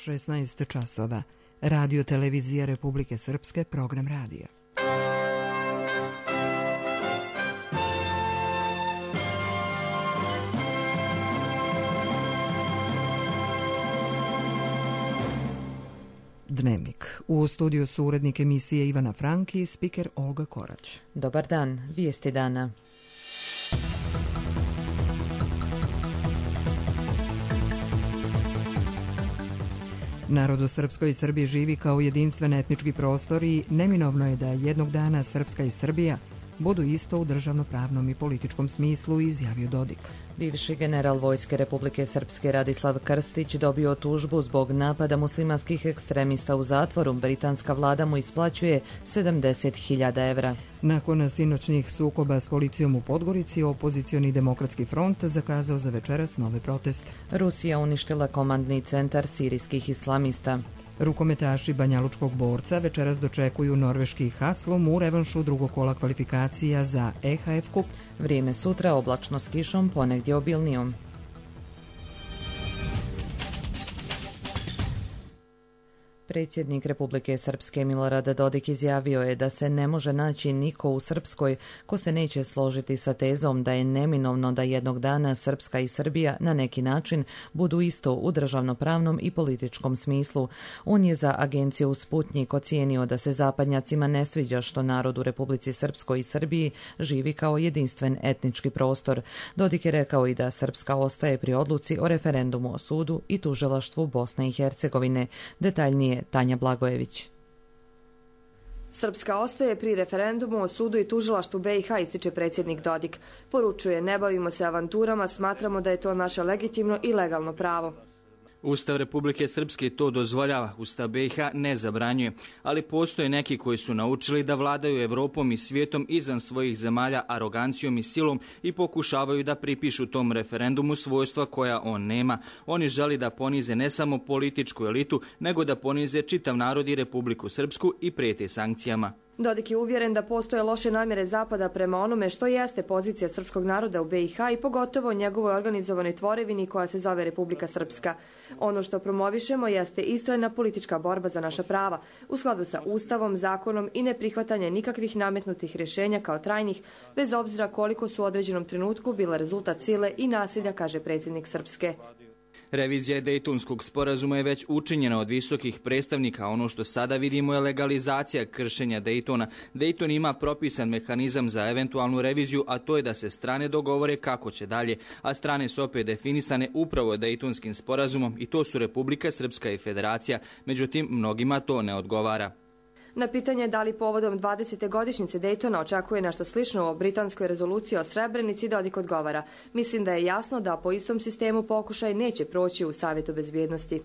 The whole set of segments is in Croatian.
16 časova. Radio Televizija Republike Srpske, program radija. Dnevnik. U studiju su urednik emisije Ivana Franki i spiker Olga Korać. Dobar dan, vijesti dana. Narod u Srpskoj i Srbiji živi kao jedinstven etnički prostor i neminovno je da jednog dana Srpska i Srbija budu isto u državnopravnom i političkom smislu, izjavio Dodik. Bivši general Vojske Republike Srpske Radislav Krstić dobio tužbu zbog napada muslimanskih ekstremista u zatvoru. Britanska vlada mu isplaćuje 70.000 evra. Nakon sinoćnih sukoba s policijom u Podgorici, opozicioni Demokratski front zakazao za večeras nove proteste. Rusija uništila komandni centar sirijskih islamista. Rukometaši Banjalučkog Borca večeras dočekuju norveški Haslum u revanšu drugog kola kvalifikacija za EHF kup. Vrijeme sutra oblačno s kišom, ponegdje obilnijom. Predsjednik Republike Srpske Milorad Dodik izjavio je da se ne može naći niko u Srpskoj ko se neće složiti sa tezom da je neminovno da jednog dana Srpska i Srbija na neki način budu isto u državnopravnom i političkom smislu. On je za agenciju Sputnjik ocijenio da se zapadnjacima ne sviđa što narod u Republici Srpskoj i Srbiji živi kao jedinstven etnički prostor. Dodik je rekao i da Srpska ostaje pri odluci o referendumu o sudu i tužilaštvu Bosne i Hercegovine. Detaljnije Tanja Blagojević. Srpska ostaje pri referendumu o sudu i tužilaštvu BiH, ističe predsjednik Dodik. Poručuje, ne bavimo se avanturama, smatramo da je to naše legitimno i legalno pravo. Ustav Republike Srpske to dozvoljava, Ustav BiH ne zabranjuje, ali postoje neki koji su naučili da vladaju Evropom i svijetom izvan svojih zemalja arogancijom i silom i pokušavaju da pripišu tom referendumu svojstva koja on nema. Oni želi da ponize ne samo političku elitu, nego da ponize čitav narod i Republiku Srpsku i prijete sankcijama. Dodik je uvjeren da postoje loše namjere Zapada prema onome što jeste pozicija srpskog naroda u BiH i pogotovo njegovoj organizovanoj tvorevini koja se zove Republika Srpska. Ono što promovišemo jeste istrajna politička borba za naša prava, u skladu sa Ustavom, zakonom i neprihvatanje nikakvih nametnutih rješenja kao trajnih, bez obzira koliko su u određenom trenutku bile rezultat sile i nasilja, kaže predsjednik Srpske. Revizija Dejtonskog sporazuma je već učinjena od visokih predstavnika. Ono što sada vidimo je legalizacija kršenja Dejtona. Dejton ima propisan mehanizam za eventualnu reviziju, a to je da se strane dogovore kako će dalje. A strane su opet definisane upravo Dejtonskim sporazumom i to su Republika Srpska i Federacija. Međutim, mnogima to ne odgovara. Na pitanje da li povodom 20. godišnjice Dejtona očekuje nešto slično u britanskoj rezoluciji o Srebrenici, Dodik odgovara. Mislim da je jasno da po istom sistemu pokušaj neće proći u Savjetu bezbjednosti.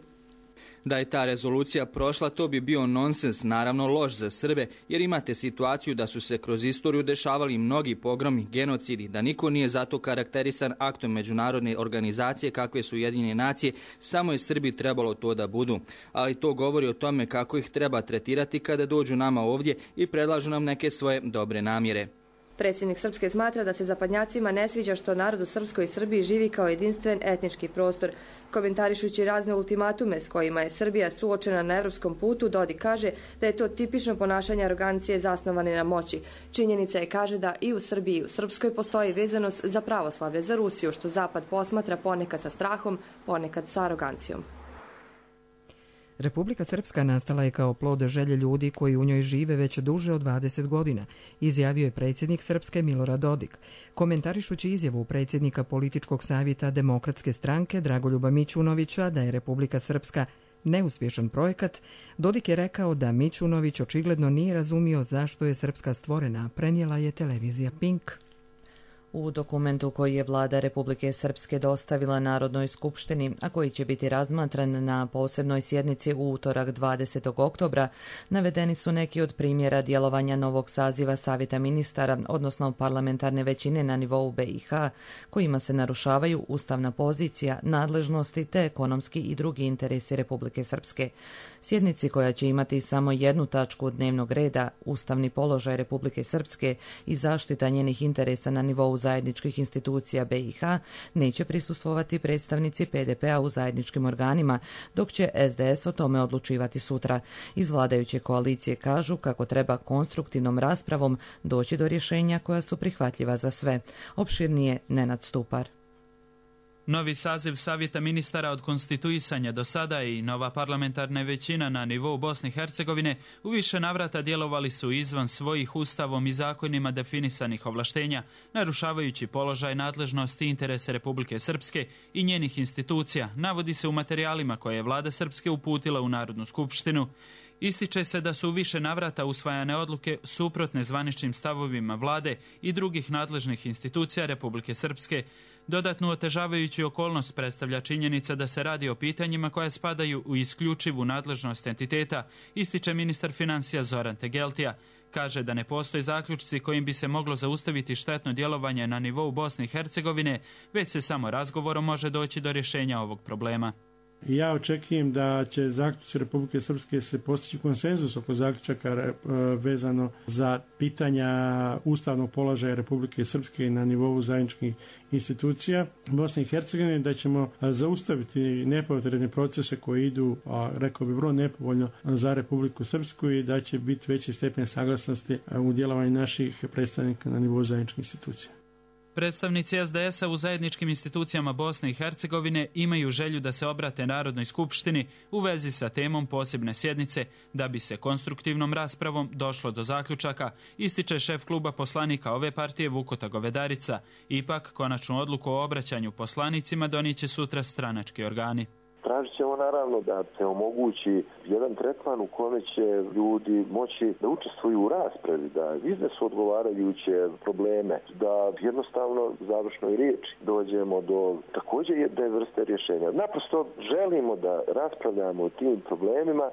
Da je ta rezolucija prošla, to bi bio nonsens, naravno loš za Srbe, jer imate situaciju da su se kroz istoriju dešavali mnogi pogromi, genocidi, da niko nije zato karakterisan aktom međunarodne organizacije kakve su Ujedinjene nacije, samo je Srbi trebalo to da budu. Ali to govori o tome kako ih treba tretirati kada dođu nama ovdje i predlažu nam neke svoje dobre namjere. Predsjednik Srpske smatra da se zapadnjacima ne sviđa što narod u Srpskoj i Srbiji živi kao jedinstven etnički prostor. Komentarišući razne ultimatume s kojima je Srbija suočena na evropskom putu, Dodik kaže da je to tipično ponašanje arogancije zasnovane na moći. Činjenica je, kaže, da i u Srbiji i u Srpskoj postoji vezanost za pravoslavlje, za Rusiju, što Zapad posmatra ponekad sa strahom, ponekad sa arogancijom. Republika Srpska nastala je kao plod želje ljudi koji u njoj žive već duže od 20 godina, izjavio je predsjednik Srpske Milorad Dodik. Komentarišući izjavu predsjednika političkog savjeta Demokratske stranke Dragoljuba Mićunovića da je Republika Srpska neuspješan projekat, Dodik je rekao da Mićunović očigledno nije razumio zašto je Srpska stvorena, prenijela je televizija Pink. U dokumentu koji je vlada Republike Srpske dostavila Narodnoj skupštini, a koji će biti razmatran na posebnoj sjednici u utorak 20. oktobra, navedeni su neki od primjera djelovanja novog saziva Savjeta ministara, odnosno parlamentarne većine na nivou BiH, kojima se narušavaju ustavna pozicija, nadležnosti te ekonomski i drugi interesi Republike Srpske. Sjednici koja će imati samo jednu tačku dnevnog reda, ustavni položaj Republike Srpske i zaštita njenih interesa na nivou zajedničkih institucija BiH neće prisustvovati predstavnici PDP-a u zajedničkim organima, dok će SDS o tome odlučivati sutra. Iz vladajuće koalicije kažu kako treba konstruktivnom raspravom doći do rješenja koja su prihvatljiva za sve. Opširnije Nenad Stupar. Novi saziv Savjeta ministara od konstituisanja do sada i nova parlamentarna većina na nivou Bosne i Hercegovine u više navrata djelovali su izvan svojih ustavom i zakonima definisanih ovlaštenja, narušavajući položaj, nadležnosti i interese Republike Srpske i njenih institucija, navodi se u materijalima koje je vlada Srpske uputila u Narodnu skupštinu. Ističe se da su u više navrata usvajane odluke suprotne zvaničnim stavovima vlade i drugih nadležnih institucija Republike Srpske. Dodatnu otežavajuću okolnost predstavlja činjenica da se radi o pitanjima koja spadaju u isključivu nadležnost entiteta, ističe ministar financija Zoran Tegeltija. Kaže da ne postoje zaključci kojim bi se moglo zaustaviti štetno djelovanje na nivou Bosne i Hercegovine, već se samo razgovorom može doći do rješenja ovog problema. Ja očekujem da će zaključci Republike Srpske se postići konsenzus oko zaključaka vezano za pitanja ustavnog položaja Republike Srpske na nivou zajedničkih institucija Bosne i Hercegovine, da ćemo zaustaviti nepotrebne procese koji idu, rekao bi, vrlo nepovoljno za Republiku Srpsku i da će biti veći stepen saglasnosti u djelovanju naših predstavnika na nivou zajedničkih institucija. Predstavnici SDS-a u zajedničkim institucijama Bosne i Hercegovine imaju želju da se obrate Narodnoj skupštini u vezi sa temom posebne sjednice da bi se konstruktivnom raspravom došlo do zaključaka, ističe šef kluba poslanika ove partije Vukota Govedarica. Ipak, konačnu odluku o obraćanju poslanicima donijet će sutra stranački organi. Tražit ćemo naravno da se omogući jedan tretman u kome će ljudi moći da učestvuju u raspravi, da iznesu odgovarajuće probleme, da jednostavno u završnoj riječi dođemo do također jedne vrste rješenja. Naprosto želimo da raspravljamo o tim problemima.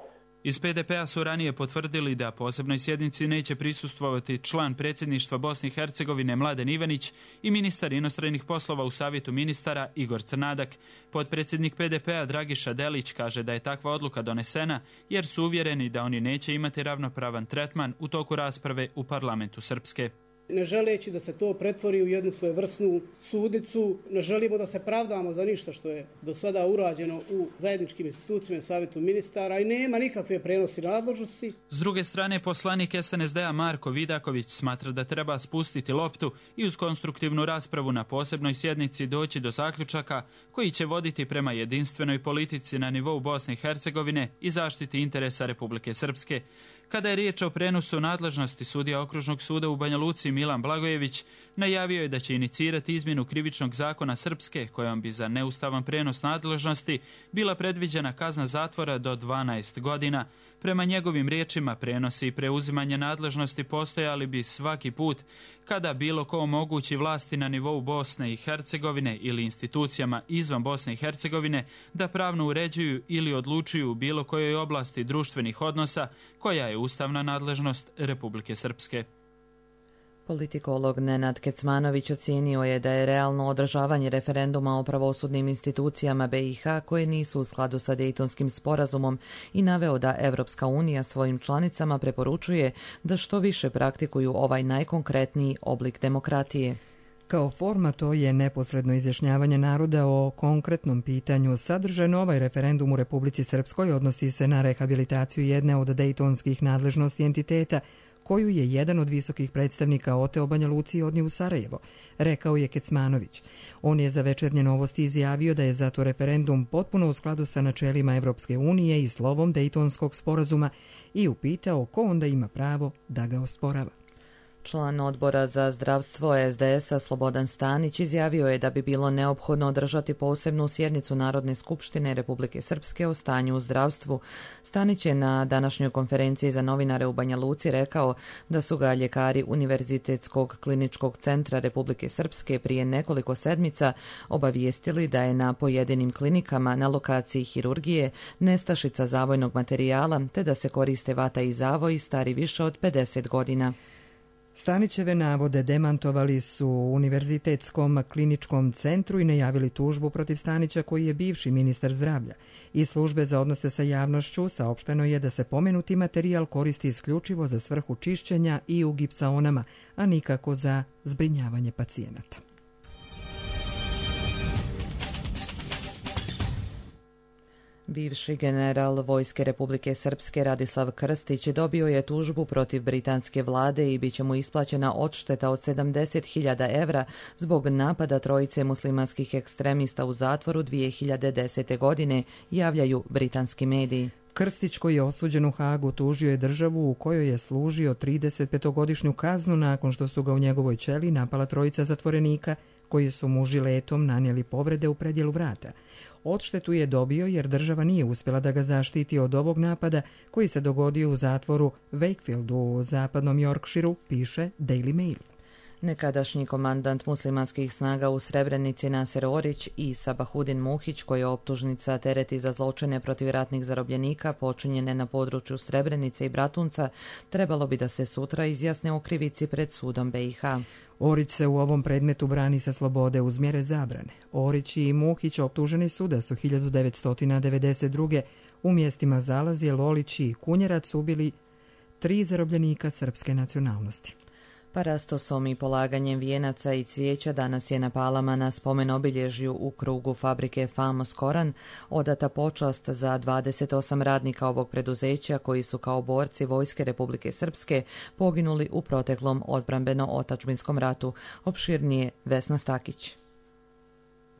Iz PDP-a su ranije potvrdili da posebnoj sjednici neće prisustvovati član predsjedništva Bosne i Hercegovine Mladen Ivanić i ministar inostranih poslova u Savjetu ministara Igor Crnadak. Potpredsjednik PDP-a Dragiša Delić kaže da je takva odluka donesena jer su uvjereni da oni neće imati ravnopravan tretman u toku rasprave u parlamentu Srpske. Ne želeći da se to pretvori u jednu svojevrsnu sudnicu, ne želimo da se pravdamo za ništa što je do sada urađeno u zajedničkim institucijama i Savjetu ministara i nema nikakve prenosi nadležnosti. S druge strane, poslanik SNSD-a Marko Vidaković smatra da treba spustiti loptu i uz konstruktivnu raspravu na posebnoj sjednici doći do zaključaka koji će voditi prema jedinstvenoj politici na nivou Bosne i Hercegovine i zaštiti interesa Republike Srpske. Kada je riječ o prenosu nadležnosti, sudija Okružnog suda u Banja Luci Milan Blagojević najavio je da će inicirati izmjenu krivičnog zakona Srpske kojom bi za neustavan prenos nadležnosti bila predviđena kazna zatvora do 12 godina. Prema njegovim riječima, prenosi i preuzimanje nadležnosti postojali bi svaki put kada bilo ko omogući vlasti na nivou Bosne i Hercegovine ili institucijama izvan Bosne i Hercegovine da pravno uređuju ili odlučuju u bilo kojoj oblasti društvenih odnosa koja je ustavna nadležnost Republike Srpske. Politikolog Nenad Kecmanović ocijenio je da je realno održavanje referenduma o pravosudnim institucijama BiH koje nisu u skladu sa Dejtonskim sporazumom i naveo da Evropska unija svojim članicama preporučuje da što više praktikuju ovaj najkonkretniji oblik demokratije. Kao forma to je neposredno izjašnjavanje naroda o konkretnom pitanju. Sadržajno ovaj referendum u Republici Srpskoj odnosi se na rehabilitaciju jedne od dejtonskih nadležnosti entiteta, koju je jedan od visokih predstavnika oteo Banja Luci i odnio u Sarajevo, rekao je Kecmanović. On je za Večernje novosti izjavio da je zato referendum potpuno u skladu sa načelima Evropske unije i slovom Dejtonskog sporazuma i upitao ko onda ima pravo da ga osporava. Član odbora za zdravstvo SDS-a Slobodan Stanić izjavio je da bi bilo neophodno održati posebnu sjednicu Narodne skupštine Republike Srpske o stanju u zdravstvu. Stanić je na današnjoj konferenciji za novinare u Banja Luci rekao da su ga ljekari Univerzitetskog kliničkog centra Republike Srpske prije nekoliko sedmica obavijestili da je na pojedinim klinikama na lokaciji hirurgije nestašica zavojnog materijala te da se koriste vata i zavoj stari više od 50 godina. Stanićeve navode demantovali su u Univerzitetskom kliničkom centru i najavili tužbu protiv Stanića koji je bivši ministar zdravlja. Iz službe za odnose sa javnošću saopšteno je da se pomenuti materijal koristi isključivo za svrhu čišćenja i u gipsaonama, a nikako za zbrinjavanje pacijenata. Bivši general Vojske Republike Srpske Radislav Krstić dobio je tužbu protiv britanske vlade i bit će mu isplaćena odšteta od 70.000 evra zbog napada trojice muslimanskih ekstremista u zatvoru 2010. godine, javljaju britanski mediji. Krstić, koji je osuđen u Hagu, tužio je državu u kojoj je služio 35-godišnju kaznu nakon što su ga u njegovoj ćeliji napala trojica zatvorenika koji su mu žiletom nanijeli povrede u predjelu vrata. Odštetu je dobio jer država nije uspjela da ga zaštiti od ovog napada koji se dogodio u zatvoru Wakefieldu u zapadnom Yorkshireu, piše Daily Mail. Nekadašnji komandant muslimanskih snaga u Srebrenici Naser Orić i Sabahudin Muhić, koji je optužnica tereti za zločine protiv ratnih zarobljenika počinjene na području Srebrenice i Bratunca, trebalo bi da se sutra izjasne o krivici pred sudom BiH. Orić se u ovom predmetu brani sa slobode uz mjere zabrane. Orić i Muhić optuženi su da su 1992. u mjestima Zalazje, Lolić i Kunjerac ubili 3 zarobljenika srpske nacionalnosti. Parastosom i polaganjem vijenaca i cvijeća danas je na Palama na spomen obilježju u krugu fabrike Famos Koran odata počast za 28 radnika ovog preduzeća koji su kao borci Vojske Republike Srpske poginuli u proteklom odbrambeno-otadžbinskom ratu. Opširnije Vesna Stakić.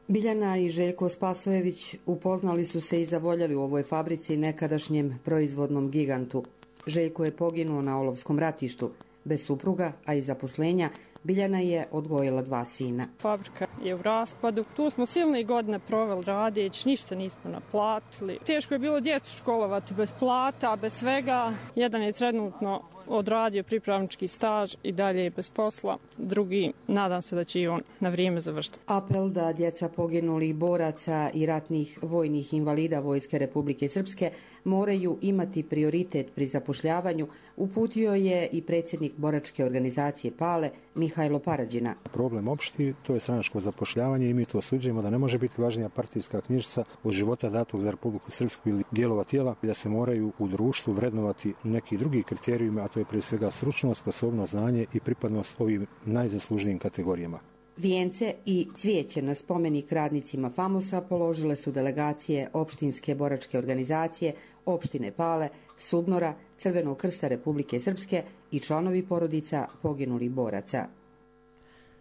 Biljana i Željko Spasojević upoznali su se i zavoljeli u ovoj fabrici nekadašnjem proizvodnom gigantu. Željko je poginuo na olovskom ratištu. Bez supruga, a i zaposlenja, Biljana je odgojila 2 sina. Fabrika je u raspadu. Tu smo silne godine proveli radeć, ništa nismo naplatili. Teško je bilo djecu školovati bez plata, bez svega. Jedan je trenutno odradio pripravnički staž i dalje je bez posla. Drugi, nadam se da će i on na vrijeme završiti. Apel da djeca poginulih boraca i ratnih vojnih invalida Vojske Republike Srpske moraju imati prioritet pri zapošljavanju, uputio je i predsjednik boračke organizacije PALE Mihajlo Parađina. Problem opšti, to je stranačko zapošljavanje i mi to osuđujemo da ne može biti važnija partijska knjižica od života datog za Republiku Srpsku ili dijelova tijela i da se moraju u društvu vrednovati neki drugi kriterijumi, a to je prije svega stručnost, sposobnost, znanje i pripadnost ovim najzaslužnijim kategorijama. Vijence i cvijeće na spomenik radnicima Famosa položile su delegacije opštinske boračke organizacije, opštine Pale, Subnora, Crvenog krsta Republike Srpske i članovi porodica poginulih boraca.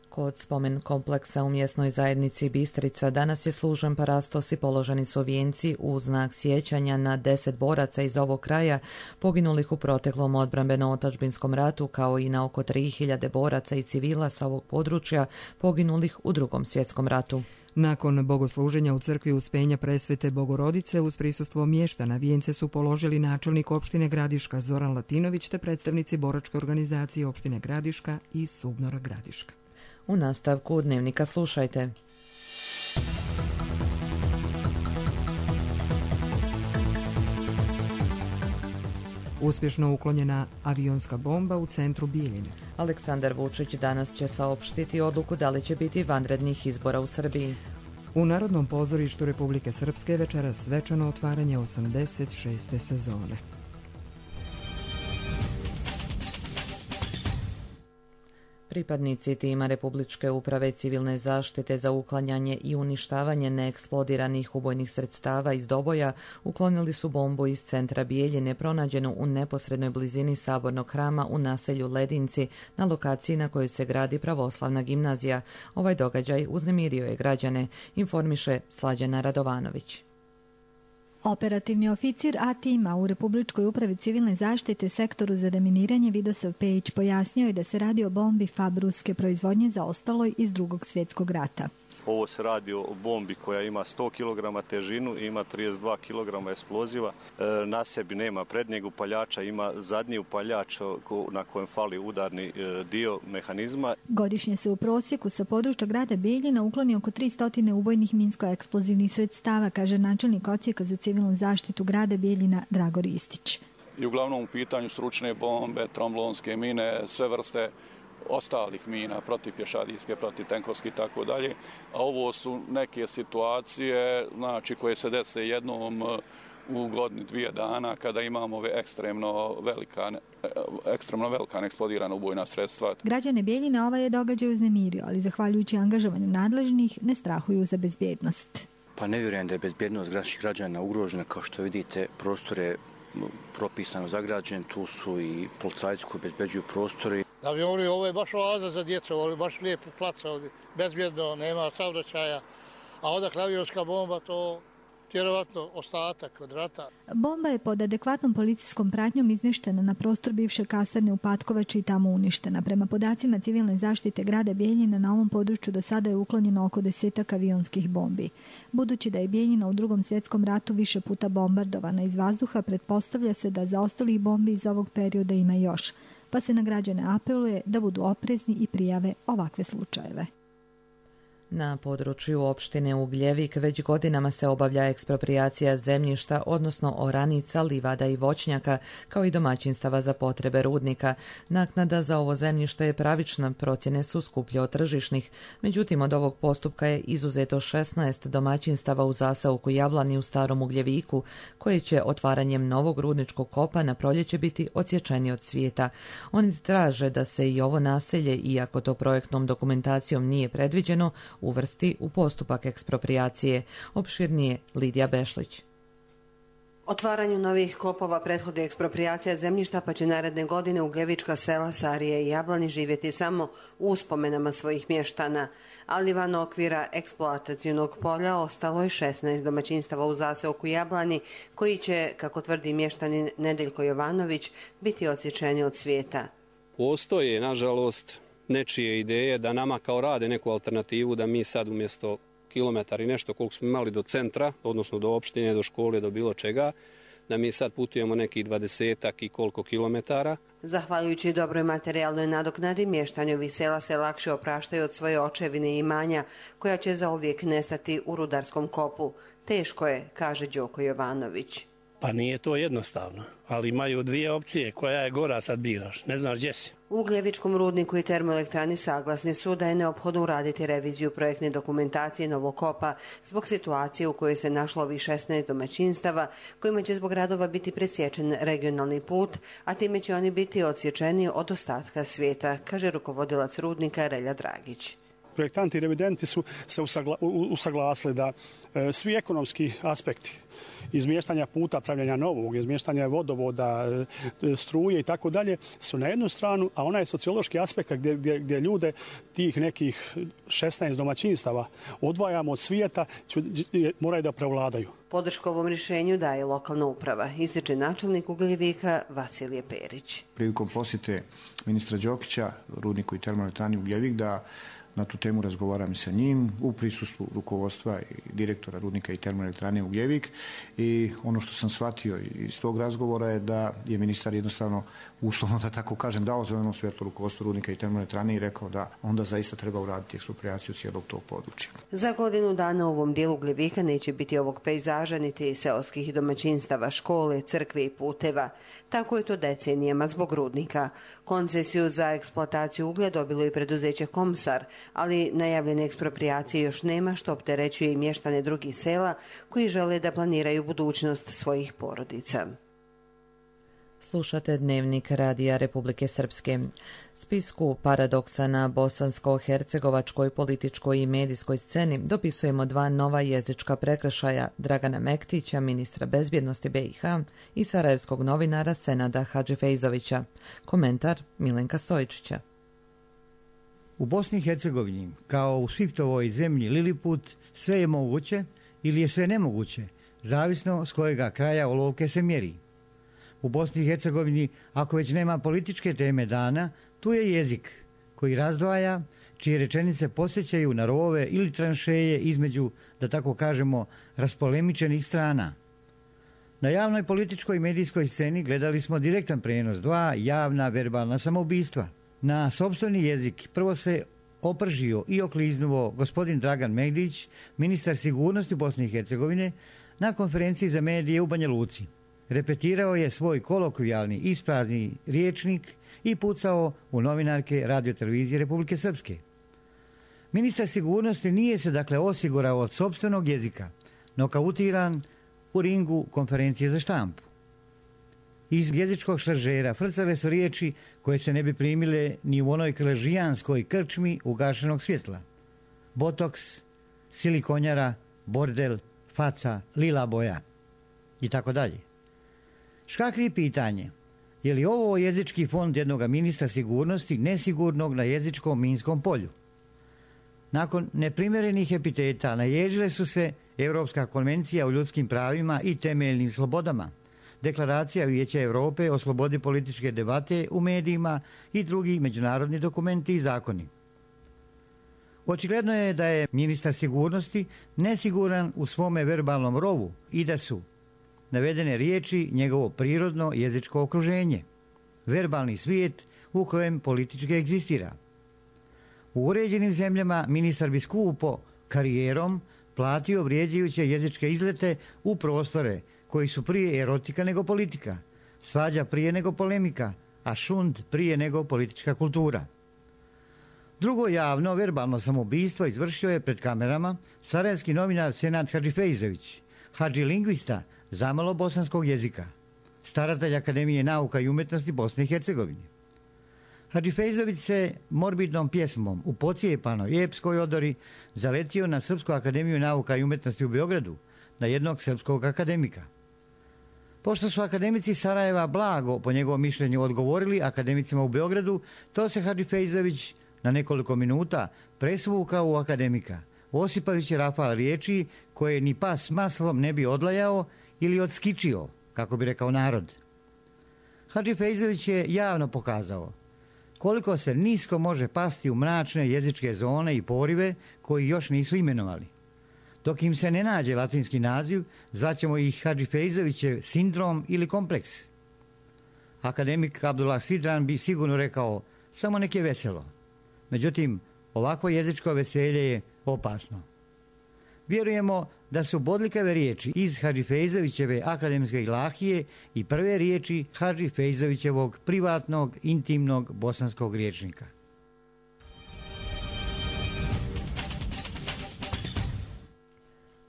Kod spomen kompleksa u mjesnoj zajednici Bistrica danas je služen parastos i položeni su vijenci u znak sjećanja na 10 boraca iz ovog kraja poginulih u proteklom odbrambeno-otadžbinskom ratu, kao i na oko 3000 boraca i civila sa ovog područja poginulih u Drugom svjetskom ratu. Nakon bogosluženja u crkvi Uspenja Presvete Bogorodice uz prisustvo mještana vijence su položili načelnik opštine Gradiška Zoran Latinović te predstavnici boračke organizacije opštine Gradiška i Subnora Gradiška. U nastavku Dnevnika slušajte. Uspješno uklonjena avionska bomba u centru Bijeljine. Aleksandar Vučić danas će saopštiti odluku da li će biti vanrednih izbora u Srbiji. U Narodnom pozorištu Republike Srpske večeras svečano otvaranje 86. sezone. Pripadnici tima Republičke uprave civilne zaštite za uklanjanje i uništavanje neeksplodiranih ubojnih sredstava iz doboja uklonili su bombu iz centra Bijeljine pronađenu u neposrednoj blizini Sabornog hrama u naselju Ledinci, na lokaciji na kojoj se gradi pravoslavna gimnazija. Ovaj događaj uznemirio je građane, informiše Slađana Radovanović. Operativni oficir A-tima u Republičkoj upravi civilne zaštite sektoru za deminiranje Vidosav Pejić pojasnio je da se radi o bombi fabruske proizvodnje zaostaloj iz Drugog svjetskog rata. Ovo se radi o bombi koja ima 100 kg težinu i ima 32 kg eksploziva. Na sebi nema prednjeg upaljača, ima zadnji upaljač na kojem fali udarni dio mehanizma. Godišnje se u prosjeku sa područja grada Bijeljina ukloni oko 300 ubojnih minsko-eksplozivnih sredstava, kaže načelnik odsjeka za civilnu zaštitu grada Bijeljina Dragor Istić. I uglavnom u pitanju stručne bombe, tromblonske mine, sve vrste ostalih mina, protipješadijske, protitenkovske i tako dalje. A ovo su neke situacije, znači, koje se dese jednom u godini 2 dana kada imamo ekstremno velika neeksplodirana ubojna sredstva. Građane Bijeljine ovaj je događaj uznemirio, ali zahvaljujući angažovanju nadležnih ne strahuju za bezbjednost. Pa ne vjerujem da je bezbjednost naših građana ugrožena. Kao što vidite, prostor je propisano zagrađen, tu su i policajci koji bezbeđuju prostori. Avioni, ovo je baš oaza za djecu, ovo je baš lijepo plac ovdje, bezbjedno, nema saobraćaja, a odakle avionska bomba, to vjerovatno ostatak od rata. Bomba je pod adekvatnom policijskom pratnjom izmještena na prostor bivše kasarne u Patkovači i tamo uništena. Prema podacima civilne zaštite grada Bijeljina, na ovom području do sada je uklonjeno oko 10 avionskih bombi. Budući da je Bijeljina u Drugom svjetskom ratu više puta bombardovana iz vazduha, pretpostavlja se da za ostalih bombi iz ovog perioda ima još, pa se na građane apeluje da budu oprezni i prijave ovakve slučajeve. Na području opštine Ugljevik već godinama se obavlja eksproprijacija zemljišta, odnosno oranica, livada i voćnjaka, kao i domaćinstava za potrebe rudnika. Naknada za ovo zemljište je pravična, procjene su skuplje od tržišnih. Međutim, od ovog postupka je izuzeto 16 domaćinstava u zaseoku Jablani u Starom Ugljeviku, koje će otvaranjem novog rudničkog kopa na proljeće biti odsječeni od svijeta. Oni traže da se i ovo naselje, iako to projektnom dokumentacijom nije predviđeno, uvrsti u postupak eksproprijacije. Opširnije Lidija Bešlić. Otvaranju novih kopova prethodi eksproprijacija zemljišta, pa će naredne godine ugljevička sela Sarije i Jablani živjeti samo u uspomenama svojih mještana. Ali van okvira eksploatacionog polja ostalo je 16 domaćinstava u zaseoku Jablani, koji će, kako tvrdi mještanin Nedeljko Jovanović, biti odsječeni od svijeta. Postoje, nažalost, nečije ideje da nama kao rade neku alternativu, da mi sad umjesto kilometar i nešto koliko smo imali do centra, odnosno do opštine, do škole, do bilo čega, da mi sad putujemo nekih 20-ak i koliko kilometara. Zahvaljujući dobroj materijalnoj nadoknadi, mještani ovih sela se lakše opraštaju od svoje očevine i imanja, koja će zauvijek nestati u rudarskom kopu. Teško je, kaže Đoko Jovanović. Pa nije to jednostavno, ali imaju dvije opcije, koja je gora sad biraš, ne znaš gdje si. U Ugljevičkom rudniku i termoelektrani saglasni su da je neophodno uraditi reviziju projektne dokumentacije novog kopa zbog situacije u kojoj se našlo ovih 16 domaćinstava, kojima će zbog radova biti presječen regionalni put, a time će oni biti odsječeni od ostatka svijeta, kaže rukovodilac rudnika Relja Dragić. Projektanti i revidenti su se usaglasili da svi ekonomski aspekti izmještanja puta, pravljanja novog, izmještanja vodovoda, struje i tako dalje su na jednu stranu, a onaj sociološki aspekt gdje ljude tih nekih 16 domaćinstava odvajamo od svijeta moraju da prevladaju. Podršku ovom rješenju daje lokalna uprava, ističe načelnik Ugljevika Vasilije Perić. Prilikom posjete ministra Đokića, rudniku i termoelektrani Ugljevik, da na tu temu razgovaram i sa njim u prisustvu rukovodstva i direktora rudnika i termoelektrane Ugljevik, i ono što sam shvatio iz tog razgovora je da je ministar jednostavno, uslovno da tako kažem, dao zeleno svjetlo rukovodstvu rudnika i termoelektrane i rekao da onda zaista treba uraditi eksproprijaciju cijelog tog područja. Za godinu dana u ovom dijelu Ugljevika neće biti ovog pejzaža niti seoskih domaćinstava, škole, crkve i puteva. Tako je to decenijama zbog rudnika. Koncesiju za eksploataciju uglja dobilo i preduzeće Komsar, ali najavljene eksproprijacije još nema, što opterećuje i mještane drugih sela koji žele da planiraju budućnost svojih porodica. Slušate Dnevnik Radija Republike Srpske. Spisku paradoksa na bosansko-hercegovačkoj političkoj i medijskoj sceni dopisujemo dva nova jezička prekršaja Dragana Mektića, ministra bezbjednosti BiH, i sarajevskog novinara Senada Hadžifejzovića. Komentar Milenka Stojičića. U Bosni i Hercegovini, kao u Sviftovoj zemlji Liliput, sve je moguće ili je sve nemoguće, zavisno s kojega kraja olovke se mjeri. U Bosni i Hercegovini, ako već nema političke teme dana, tu je jezik koji razdvaja, čije rečenice podsjećaju na rovove ili tranšeje između, da tako kažemo, raspolemičenih strana. Na javnoj političkoj i medijskoj sceni gledali smo direktan prenos dva javna verbalna samoubistva. Na sopstveni jezik prvo se opržio i okliznuo gospodin Dragan Mektić, ministar sigurnosti Bosne i Hercegovine, na konferenciji za medije u Banja Luci. Repetirao je svoj kolokvijalni isprazni riječnik i pucao u novinarke Radio-televizije Republike Srpske. Ministar sigurnosti nije se dakle osigurao od sopstvenog jezika, nokautiran u ringu konferencije za štampu. Iz jezičkog šaržera frcale su riječi koje se ne bi primile ni u onoj kaležijanskoj krčmi ugašenog svjetla. Botoks, silikonjara, bordel, faca, lila boja i tako dalje. Škakli pitanje, je li ovo jezički fond jednog ministra sigurnosti nesigurnog na jezičkom minskom polju? Nakon neprimjerenih epiteta naježile su se Europska konvencija o ljudskim pravima i temeljnim slobodama, Deklaracija Vijeća Europe o slobodi političke debate u medijima i drugi međunarodni dokumenti i zakoni. Očigledno je da je ministar sigurnosti nesiguran u svome verbalnom rovu i da su navedene riječi njegovo prirodno jezičko okruženje, verbalni svijet u kojem politički egzistira. U uređenim zemljama ministar bi skupo karijerom platio vrijeđajuće jezičke izlete u prostore koji su prije erotika nego politika, svađa prije nego polemika, a šund prije nego politička kultura. Drugo javno verbalno samoubistvo izvršio je pred kamerama sarajevski novinar Senad Hadžifejzović, hadžilingvista zamalo bosanskog jezika, staratelj Akademije nauka i umjetnosti Bosne i Hercegovine. Hadžifejzović se morbidnom pjesmom u pocijepanoj epskoj odori zaletio na Srpsku akademiju nauka i umjetnosti u Beogradu, na jednog srpskog akademika. Pošto su akademici Sarajeva blago, po njegovom mišljenju, odgovorili akademicima u Beogradu, to se Hadžifejzović na nekoliko minuta presvukao u akademika, osipajući rafal riječi koje ni pas maslom ne bi odlajao ili odskičio, kako bi rekao narod. Hadžifejzović je javno pokazao koliko se nisko može pasti u mračne jezičke zone i porive koji još nisu imenovali. Dok im se ne nađe latinski naziv, zvaćemo ih Hadžifejzovićev sindrom ili kompleks. Akademik Abdullah Sidran bi sigurno rekao samo nek je veselo. Međutim, ovakvo jezičko veselje je opasno. Vjerujemo da su bodljikave riječi iz Hadžifejzovićeve akademske ilahije i prve riječi Hadžifejzovićevog privatnog, intimnog bosanskog rječnika.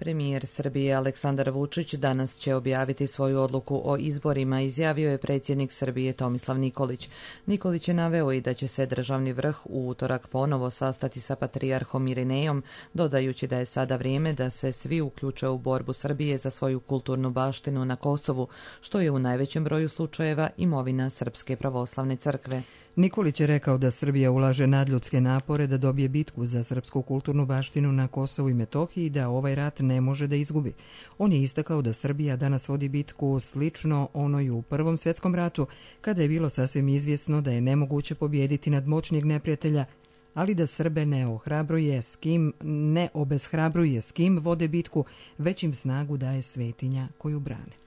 Premijer Srbije Aleksandar Vučić danas će objaviti svoju odluku o izborima, izjavio je predsjednik Srbije Tomislav Nikolić. Nikolić je naveo i da će se državni vrh u utorak ponovo sastati sa patrijarhom Irinejom, dodajući da je sada vrijeme da se svi uključe u borbu Srbije za svoju kulturnu baštinu na Kosovu, što je u najvećem broju slučajeva imovina Srpske pravoslavne crkve. Nikolić je rekao da Srbija ulaže nadljudske napore da dobije bitku za srpsku kulturnu baštinu na Kosovu i Metohiji i da ovaj rat ne može da izgubi. On je istakao da Srbija danas vodi bitku slično onoj u Prvom svjetskom ratu, kada je bilo sasvim izvjesno da je nemoguće pobijediti nadmoćnijeg neprijatelja, ali da Srbe ne obeshrabruje s kim vode bitku, već im snagu daje svetinja koju brane.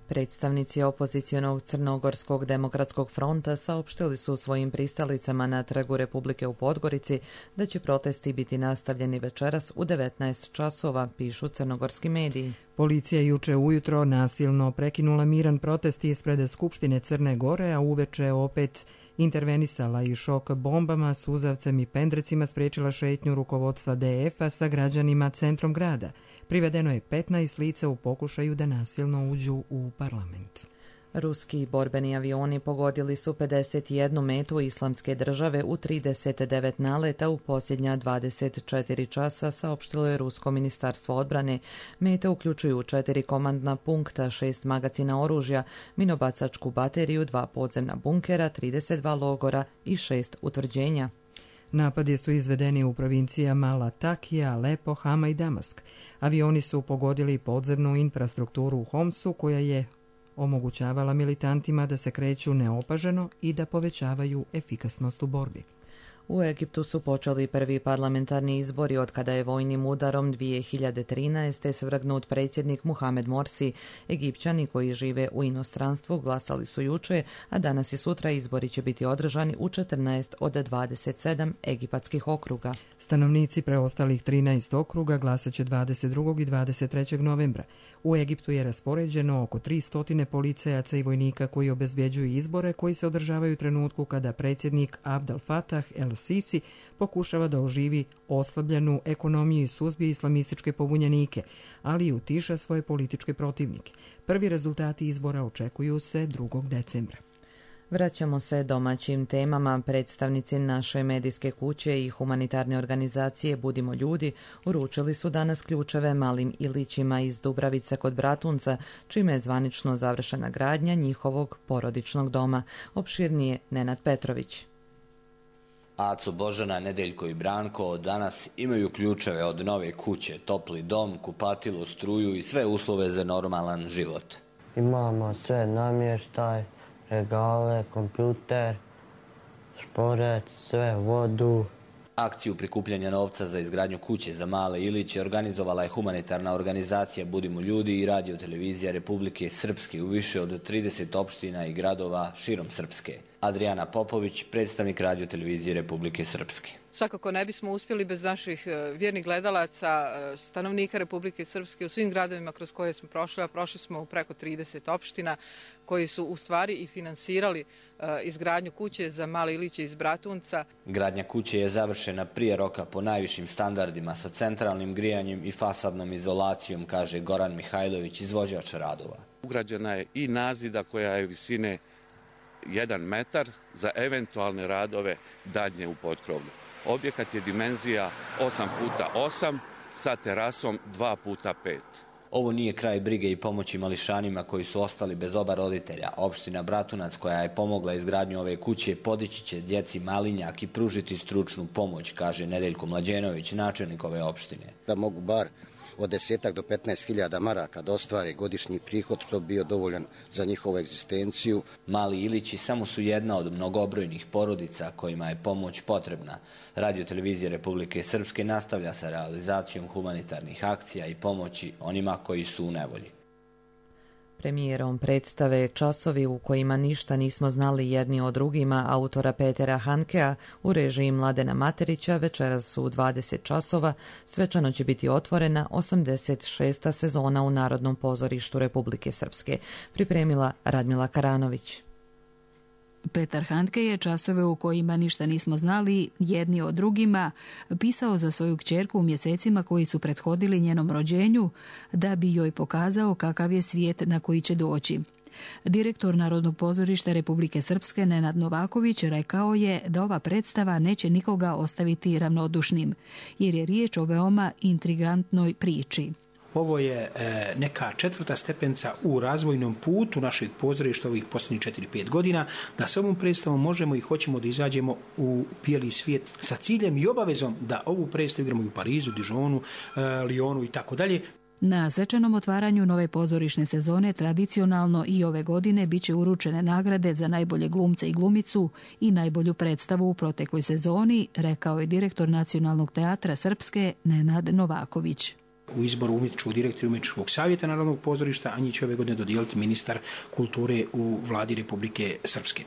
Predstavnici opozicionog Crnogorskog demokratskog fronta saopštili su svojim pristalicama na Trgu Republike u Podgorici da će protesti biti nastavljeni večeras u 19 časova, pišu crnogorski mediji. Policija juče ujutro nasilno prekinula miran protest ispred Skupštine Crne Gore, a uveče opet intervenisala i šok bombama, suzavcem i pendrecima spriječila šetnju rukovodstva DF-a sa građanima centrom grada. Privedeno je 15 lica u pokušaju da nasilno uđu u parlament. Ruski borbeni avioni pogodili su 51 metu Islamske države u 39 naleta u posljednja 24 časa, saopštilo je Rusko ministarstvo odbrane. Mete uključuju 4 komandna punkta, 6 magacina oružja, minobacačku bateriju, 2 podzemna bunkera, 32 logora i 6 utvrđenja. Napadi su izvedeni u provincijama Latakija, Alepo, Hama i Damask. Avioni su pogodili podzemnu infrastrukturu u Homsu, koja je omogućavala militantima da se kreću neopaženo i da povećavaju efikasnost u borbi. U Egiptu su počeli prvi parlamentarni izbori od kada je vojnim udarom 2013. svrgnut predsjednik Muhamed Morsi. Egipćani koji žive u inostranstvu glasali su juče, a danas i sutra izbori će biti održani u 14 od 27 egipatskih okruga. Stanovnici preostalih 13 okruga glasat će 22. i 23. novembra. U Egiptu je raspoređeno oko 300 policajaca i vojnika koji obezbjeđuju izbore koji se održavaju u trenutku kada predsjednik Abdel Fattah el-Sisi pokušava da oživi oslabljenu ekonomiju i suzbije islamističke pobunjenike, ali i utiša svoje političke protivnike. Prvi rezultati izbora očekuju se 2. decembra. Vraćamo se domaćim temama. Predstavnici naše medijske kuće i humanitarne organizacije Budimo ljudi uručili su danas ključeve malim Ilićima iz Dubravice kod Bratunca, čime je zvanično završena gradnja njihovog porodičnog doma. Opširnije Nenad Petrović. Aco, Božana, Nedeljko i Branko danas imaju ključeve od nove kuće, topli dom, kupatilu, struju i sve uslove za normalan život. Imamo sve namještaj, regale, kompjuter, šporet, sve, vodu. Akciju prikupljanja novca za izgradnju kuće za male Iliće organizovala je humanitarna organizacija Budimo ljudi i Radio televizija Republike Srpske u više od 30 opština i gradova širom Srpske. Adriana Popović, predstavnik Radio televizije Republike Srpske. Svakako ne bismo uspjeli bez naših vjernih gledalaca, stanovnika Republike Srpske u svim gradovima kroz koje smo prošli, a prošli smo u preko 30 opština koji su u stvari i finansirali izgradnju kuće za male Iliće iz Bratunca. Gradnja kuće je završena prije roka po najvišim standardima sa centralnim grijanjem i fasadnom izolacijom, kaže Goran Mihajlović, izvođač radova. Ugrađena je i nazida koja je visine 1 metar za eventualne radove daljnje u potkrovlju. Objekat je dimenzija 8x8 sa terasom 2x5. Ovo nije kraj brige i pomoći mališanima koji su ostali bez oba roditelja. Opština Bratunac, koja je pomogla izgradnju ove kuće, podići će djeci Malinjak i pružiti stručnu pomoć, kaže Nedeljko Mlađenović, načelnik ove opštine. Da mogu bar od 10 do 15.000 maraka da ostvare godišnji prihod, što bi bio dovoljan za njihovu egzistenciju. Mali Ilići samo su jedna od mnogobrojnih porodica kojima je pomoć potrebna. Radio televizija Republike Srpske nastavlja sa realizacijom humanitarnih akcija i pomoći onima koji su u nevolji. Premijerom predstave Časovi u kojima ništa nismo znali jedni o drugima autora Petera Handkea u režiji Mladena Materića večeras su u 20 časova. Svečano će biti otvorena 86. sezona u Narodnom pozorištu Republike Srpske. Pripremila Radmila Karanović. Petar Handke je Časove u kojima ništa nismo znali jedni o drugima pisao za svoju kćerku u mjesecima koji su prethodili njenom rođenju da bi joj pokazao kakav je svijet na koji će doći. Direktor Narodnog pozorišta Republike Srpske Nenad Novaković rekao je da ova predstava neće nikoga ostaviti ravnodušnim, jer je riječ o veoma intrigantnoj priči. Ovo je neka 4. stepenca u razvojnom putu našeg pozorišta ovih posljednjih 4-5 godina, da s ovom predstavom možemo i hoćemo da izađemo u bijeli svijet sa ciljem i obavezom da ovu predstavu igramo i u Parizu, Dijonu, Lyonu i tako dalje. Na svečanom otvaranju nove pozorišne sezone tradicionalno i ove godine biće uručene nagrade za najbolje glumce i glumicu i najbolju predstavu u protekloj sezoni, rekao je direktor Nacionalnog teatra Srpske Nenad Novaković. U izboru umjetničkog direktora umjetničkog savjeta Narodnog pozorišta, a njih će ove godine dodijeliti ministar kulture u vladi Republike Srpske.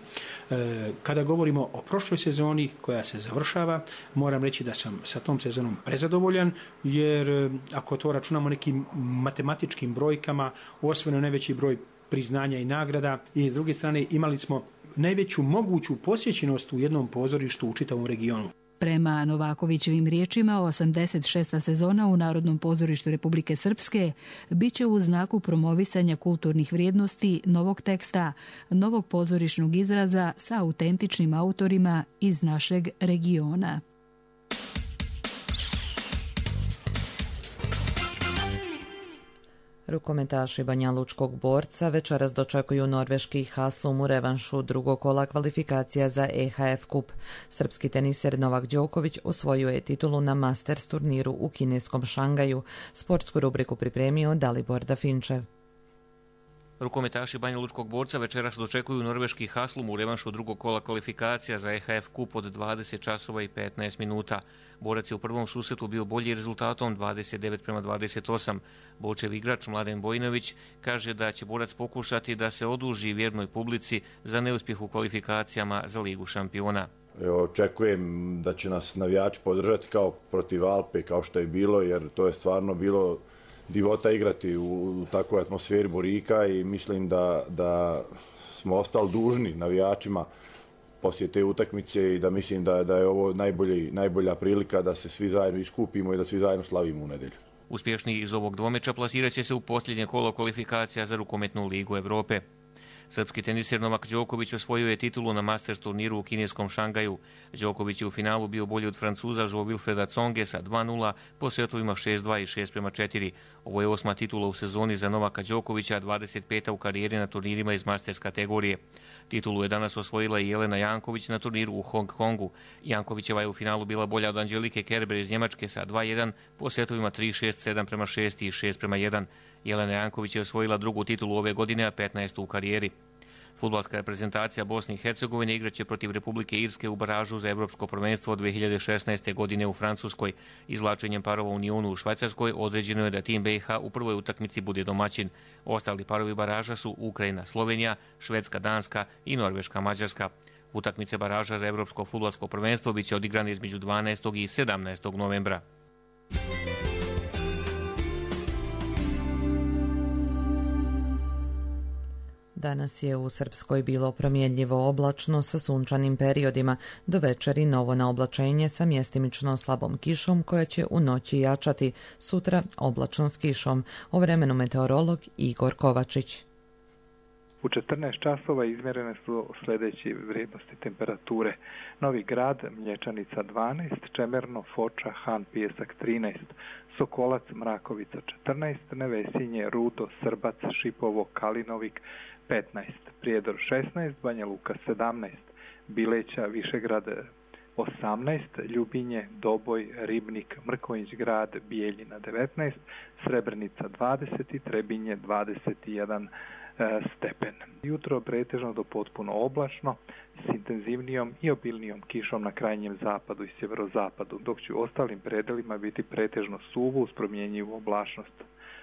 Kada govorimo o prošloj sezoni koja se završava, moram reći da sam sa tom sezonom prezadovoljan, jer ako to računamo nekim matematičkim brojkama, osvojeno najveći broj priznanja i nagrada i s druge strane imali smo najveću moguću posjećenost u jednom pozorištu u čitavom regionu. Prema Novakovićevim riječima, 86. sezona u Narodnom pozorištu Republike Srpske biće u znaku promovisanja kulturnih vrijednosti, novog teksta, novog pozorišnog izraza sa autentičnim autorima iz našeg regiona. Rukometaši Banjalučkog Borca večeras dočekuju norveški Haslum u revanšu drugog kola kvalifikacija za EHF Kup. Srpski teniser Novak Đoković osvojio je titulu na Masters turniru u kineskom Šangaju. Sportsku rubriku pripremio Dalibor Dafinčev. Rukometaši Banjalučkog Borca večeras dočekuju norveški Haslum u revanšu drugog kola kvalifikacija za EHF Kup od 20 časova i 15 minuta. Borac je u prvom susretu bio bolji rezultatom 29-28. Bočev igrač Mladen Bojinović kaže da će Borac pokušati da se oduži vjernoj publici za neuspjeh u kvalifikacijama za Ligu šampiona. Očekujem da će nas navijači podržati kao protiv Alpe, kao što je bilo, jer to je stvarno bilo divota igrati u takvoj atmosferi Borika i mislim da smo ostali dužni navijačima poslije te utakmice i da mislim da je ovo najbolja prilika da se svi zajedno iskupimo i da svi zajedno slavimo u nedjelju. Uspješni iz ovog dvomeča plasirat će se u posljednje kolo kvalifikacija za rukometnu Ligu Evrope. Srpski teniser Novak Đoković osvojio je titulu na Masters turniru u kineskom Šangaju. Đoković je u finalu bio bolji od Francuza Wilfreda Tsonge sa 2:0 po setovima 6:2 i 6:4. Ovo je 8. titula u sezoni za Novaka Đokovića, 25. u karijeri na turnirima iz Masters kategorije. Titulu je danas osvojila i Jelena Janković na turniru u Hong Kongu. Jankovićeva je u finalu bila bolja od Anđelike Kerber iz Njemačke sa 2:1 po setovima 3:6, 7:6 i 6:1. Jelena Janković je osvojila drugu titulu ove godine, a 15. u karijeri. Fudbalska reprezentacija Bosne i Hercegovine igraće protiv Republike Irske u baražu za Evropsko prvenstvo 2016. godine u Francuskoj. Izvlačenjem parova u Nionu u Švajcarskoj određeno je da tim BiH u prvoj utakmici bude domaćin. Ostali parovi baraža su Ukrajina, Slovenija, Švedska, Danska i Norveška, Mađarska. Utakmice baraža za Evropsko fudbalsko prvenstvo biće odigrane između 12. i 17. novembra. Danas je u Srpskoj bilo promjenljivo oblačno sa sunčanim periodima, do večeri novo naoblačenje sa mjestimično slabom kišom koja će u noći jačati, sutra oblačno s kišom. O vremenu meteorolog Igor Kovačić. U 14 časova izmjerene su sljedeće vrijednosti temperature. Novi Grad, Mlječanica 12, Čemerno, Foča, Han, Pijesak 13, Sokolac, Mrakovica 14, Nevesinje, Rudo, Srbac, Šipovo, Kalinovik 15, Prijedor 16, Banja Luka 17, Bileća, Višegrad 18, Ljubinje, Doboj, Ribnik, Mrkonjić Grad, Bijeljina 19, Srebrenica 20 i Trebinje 21 stepen. Jutro pretežno do potpuno oblačno s intenzivnijom i obilnijom kišom na krajnjem zapadu i sjeverozapadu, dok će u ostalim predelima biti pretežno suvo uz promjenjivu oblačnost.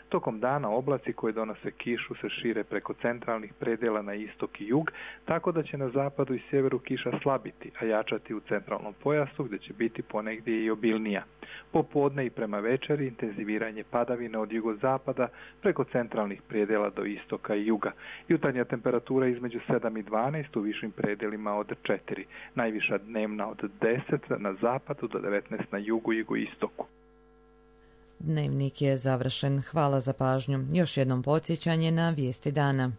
Tokom dana oblaci koji donose kišu se šire preko centralnih predjela na istok i jug, tako da će na zapadu i sjeveru kiša slabiti, a jačati u centralnom pojasu gdje će biti ponegdje i obilnija. Popodne i prema večeri intenziviranje padavine od jugozapada preko centralnih predjela do istoka i juga. Jutarnja temperatura između 7 i 12, u višim predjelima od 4. Najviša dnevna od 10 na zapadu do 19 na jugu i jugoistoku. Dnevnik je završen. Hvala za pažnju. Još jednom podsjećanje na vijesti dana.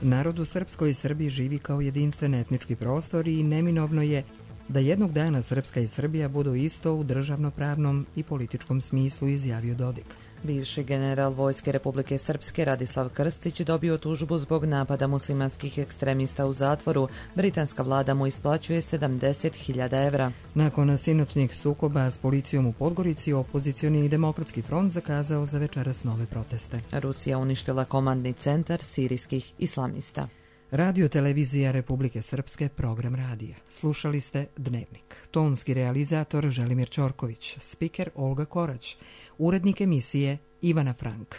Narod u Srpskoj i Srbiji živi kao jedinstven etnički prostor i neminovno je da jednog dana Srpska i Srbija budu isto u državnopravnom i političkom smislu, izjavio Dodik. Bivši general Vojske Republike Srpske Radislav Krstić dobio tužbu zbog napada muslimanskih ekstremista u zatvoru. Britanska vlada mu isplaćuje 70.000 evra. Nakon sinoćnih sukoba s policijom u Podgorici, opozicioni i demokratski front zakazao za večeras nove proteste. Rusija uništila komandni centar sirijskih islamista. Radio televizija Republike Srpske, program radija. Slušali ste Dnevnik. Tonski realizator Želimir Ćorković, spiker Olga Korać, urednik emisije Ivana Frank.